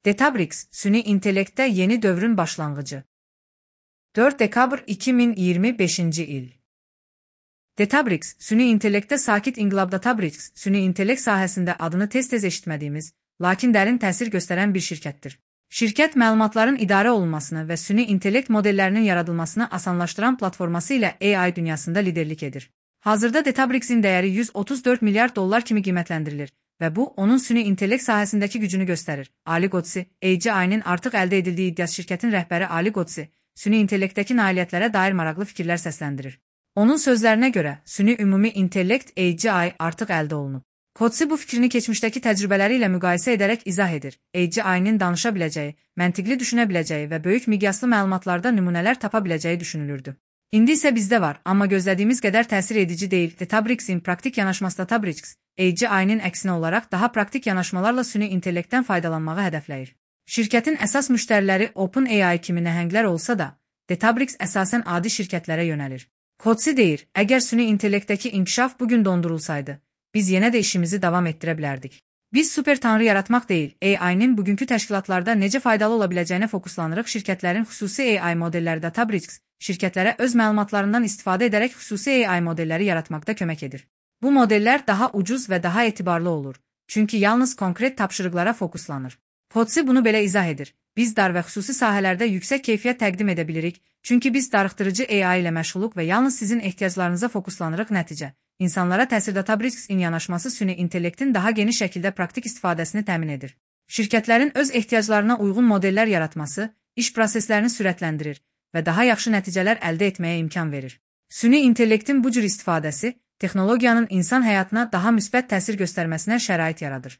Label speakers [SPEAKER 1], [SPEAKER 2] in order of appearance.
[SPEAKER 1] Databricks, süni intellektdə yeni dövrün başlanğıcı. 4 dekabr 2025 il. Databricks, süni intellektdə sakit inqilab. Databricks, süni intellekt sahəsində adını tez-tez eşitmədiyimiz, lakin dərin təsir göstərən bir şirkətdir. Şirkət məlumatların idarə olunmasını və süni intellekt modellərinin yaradılmasını asanlaşdıran platforması ilə AI dünyasında liderlik edir. Hazırda Databricks'in dəyəri $134 milyard kimi qiymətləndirilir və bu, onun süni intellekt sahəsindəki gücünü göstərir. Ali Qodsi, AGI-nin artıq əldə edildiyi iddiası. Şirkətin rəhbəri Ali Qodsi, süni intellektdəki nailiyyətlərə dair maraqlı fikirlər səsləndirir. Onun sözlərinə görə, süni ümumi intellekt AGI artıq əldə olunub. Qodsi bu fikrini keçmişdəki təcrübələri ilə müqayisə edərək izah edir. AGI-nin danışa biləcəyi, məntiqli düşünə biləcəyi və böyük miqyaslı məlumatlarda nümunələr tapa biləcəyi düşünülürdü. İndi isə bizdə var, amma gözlədiyimiz qədər təsir edici deyil. Databricks'in praktik yanaşması. Databricks, AGI-nin əksinə olaraq daha praktik yanaşmalarla süni intellektdən faydalanmağı hədəfləyir. Şirkətin əsas müştəriləri OpenAI kimi nəhənglər olsa da, Databricks əsasən adi şirkətlərə yönəlir. Qodsi deyir, əgər süni intellektdəki inkişaf bugün dondurulsaydı, biz yenə də işimizi davam etdirə bilərdik. Biz super tanrı yaratmaq deyil, AI-nin bugünkü təşkilatlarda necə faydalı ola biləcəyinə fokuslanırıq. Şirkətlərin xüsusi AI modelləri. Databricks, şirkətlərə öz məlumatlarından istifadə edərək xüsusi AI modelləri yaratmaqda kömək edir. Bu modellər daha ucuz və daha etibarlı olur, çünki yalnız konkret tapşırıqlara fokuslanır. Qodsi bunu belə izah edir. Biz dar və xüsusi sahələrdə yüksək keyfiyyət təqdim edə bilirik, çünki biz darıxdırıcı AI ilə məşğuluq və yalnız sizin ehtiyaclarınıza fokuslanırıq. Nəticə, insanlara təsir. Databricks'in yanaşması süni intellektin daha geniş şəkildə praktik istifadəsini təmin edir. Şirkətlərin öz ehtiyaclarına uyğun modellər yaratması, iş proseslərini sürətləndirir və daha yaxşı nəticələr əldə etməyə imkan verir. Süni intellektin bu cür istifadəsi, texnologiyanın insan həyatına daha müsbət təsir göstərməsinə şərait yaradır.